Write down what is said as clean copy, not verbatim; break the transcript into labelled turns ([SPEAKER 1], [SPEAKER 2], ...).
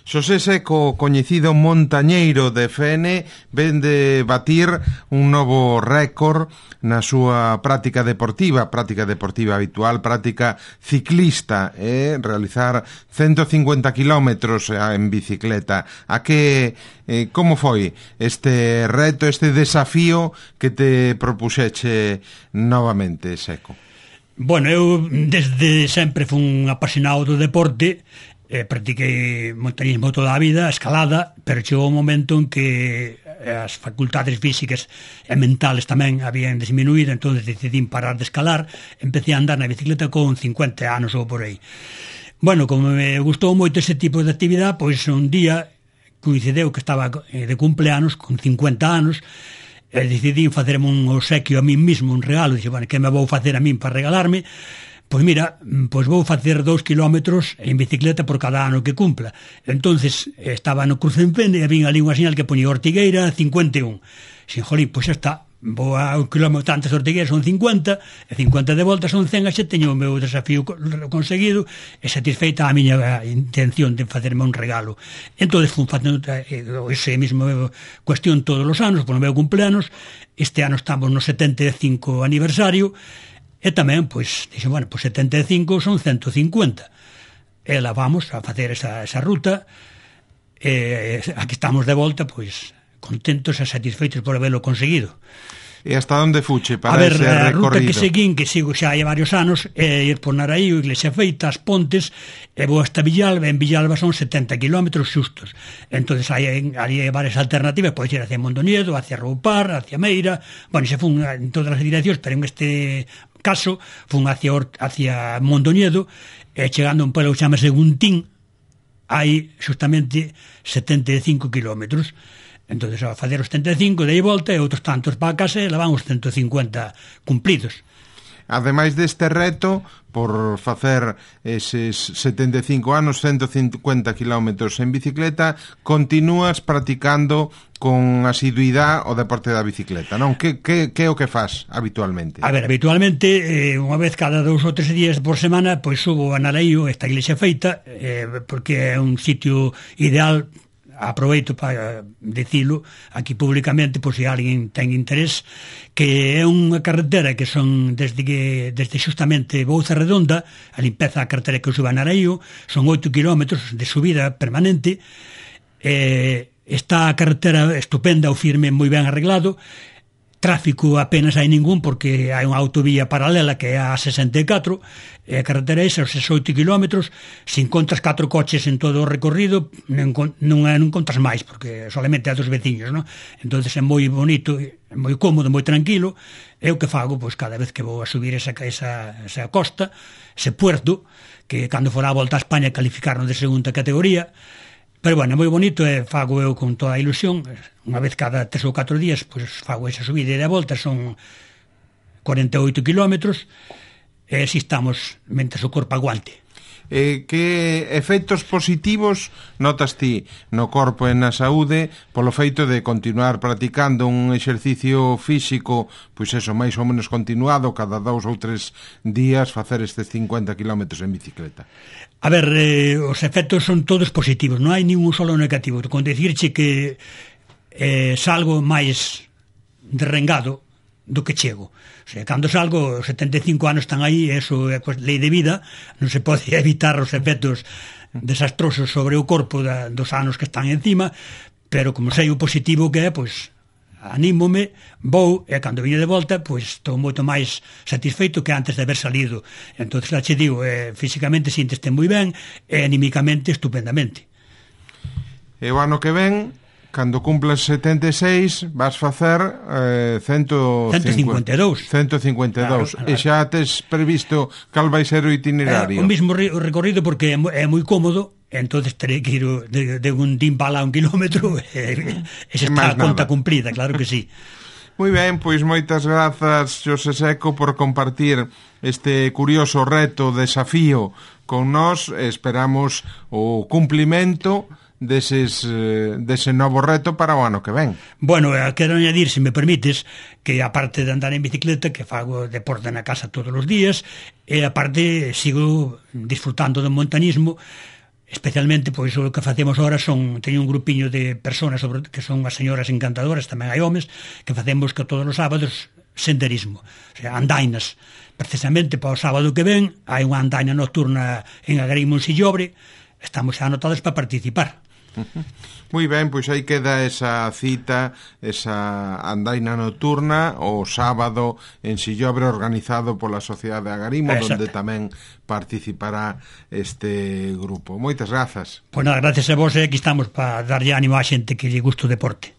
[SPEAKER 1] Xosé Seco, coñecido montañeiro de Fene, ven de batir un novo récord na súa práctica deportiva habitual, práctica ciclista, realizar 150 kilómetros en bicicleta. Como foi este reto, este desafío que te propuxeche novamente, Seco?
[SPEAKER 2] Bueno, eu desde sempre fui un apasionado do deporte. Practiquei montañismo toda a vida, escalada, pero chegou un momento en que as facultades físicas e mentales tamén habían disminuído, entón decidín parar de escalar, empecé a andar na bicicleta con 50 anos ou por aí. Bueno, como me gustou moito ese tipo de actividade, pois un día coincideu que estaba de cumpleanos, con 50 anos, e decidín facerme un obsequio a min mismo, un regalo. Dixe, bueno, que me vou facer a min para regalarme? Pois mira, pois vou facer 2 kilómetros en bicicleta por cada ano que cumpla. Entonces estaba no cruce en Fene e vin ali unha señal que poñía Ortigueira 51. Xin, jolín, pois xa está, vou a un kilómetro antes de Ortigueira, son 50, e 50 de volta son 100, e xa teño o meu desafío conseguido e satisfeita a miña intención de facerme un regalo. Entón fui facendo ese mismo cuestión todos os anos, por o meu cumpleanos. Este ano estamos no 75 aniversario. E tamén, pois, dixen, bueno, pois 75 son 150. E lá vamos a facer esa ruta. Aquí estamos de volta, pois, contentos e satisfeitos por haberlo conseguido.
[SPEAKER 1] E hasta onde fuche para ese recorrido?
[SPEAKER 2] A ruta que seguín, que sigo xa hai varios anos, é ir por Naraío, Iglesia Feita, as Pontes, e vou hasta Villalba. En Villalba son 70 kilómetros xustos. Entón, ali hai varias alternativas, podes ir hacia Mondoñedo, hacia Roupar, hacia Meira. Bueno, xa fun en todas as direccións, pero en este caso fun hacia Mondoñedo, e chegando a un pueblo que chamase Guntín, hai justamente 75 kilómetros. Entón, a facer os 75, de aí volta, e outros tantos para a casa, e levan os 150 cumplidos.
[SPEAKER 1] Ademais deste reto, por facer eses 75 anos, 150 kilómetros en bicicleta, continúas practicando con asiduidade o deporte da bicicleta, non? Que é o que faz habitualmente? A ver,
[SPEAKER 2] habitualmente, unha vez cada 2 ou 3 días por semana, pois subo a Naraío, esta Iglesia Feita, porque é un sitio ideal. Aproveito para dicilo aquí públicamente, por se alguén ten interés, que é unha carretera que son desde justamente Bouza Redonda, a limpeza da carretera que suba a Naraío, son 8 kilómetros de subida permanente. Esta carretera estupenda, o firme moi ben arreglado, tráfico apenas hai ningún, porque hai unha autovía paralela que é a 64, e a carretera esa, os 8 kilómetros, se encontras 4 coches en todo o recorrido, non encontras máis, porque solamente hai dos veciños, non? Entón é moi bonito, moi cómodo, moi tranquilo. É o que fago, pois, cada vez que vou a subir esa costa, ese puerto, que cando fora a volta a España calificaron de segunda categoría. Pero, bueno, é moi bonito, e fago eu con toda a ilusión. Unha vez cada 3 ou 4 días, pois fago esa subida e de volta, son 48 kilómetros, e así estamos, mentre o corpo aguante.
[SPEAKER 1] Que efectos positivos notas ti no corpo e na saúde polo feito de continuar practicando un exercicio físico, pois eso, máis ou menos continuado, cada 2 ou 3 días facer estes 50 kilómetros en bicicleta?
[SPEAKER 2] A ver, os efectos son todos positivos, non hai ningún solo negativo. Con decirche que salgo máis derrengado do que chego. O sea, cando salgo, os 75 anos están aí, eso é lei de vida, non se pode evitar os efectos desastrosos sobre o corpo dos anos que están encima, pero como sei o positivo que é, pois anímome, vou, e cando viño de volta, pois estou moito máis satisfeito que antes de haber salido. Entón, xa che digo, físicamente sínteste moi ben, e anímicamente estupendamente.
[SPEAKER 1] E o ano que ven, cando cumplas 76, vas facer
[SPEAKER 2] 152. Claro.
[SPEAKER 1] E xa tes previsto cal vai ser o itinerario?
[SPEAKER 2] O mismo recorrido, porque é moi cómodo. Entonces terei que ir de un Dimbala a 1 kilómetro, e xa está a conta cumprida, claro que sí.
[SPEAKER 1] Moi ben, pois moitas grazas, Xosé Seco, por compartir este curioso reto, desafío con nós. Esperamos o cumplimento dese novo reto para o ano que ven.
[SPEAKER 2] Bueno, quero añadir, se me permites, que aparte de andar en bicicleta, que fago deporte na casa todos os días, e aparte sigo disfrutando do montañismo, especialmente, pois, o que facemos ahora teño un grupiño de personas que son as señoras encantadoras, tamén hai homes, que facemos que todos os sábados senderismo, o sea, andainas. Precisamente para o sábado que ven hai unha andaina nocturna en Agarimo, en Sillobre, estamos xa anotados para participar.
[SPEAKER 1] Moi ben, pois aí queda esa cita, esa andaina nocturna o sábado en Sillobre, organizado pola Sociedade de Agarimo, onde tamén participará este grupo. Moitas grazas.
[SPEAKER 2] Pois nada, gracias a vos, aquí estamos para darlle ánimo á xente que lle gusta o deporte.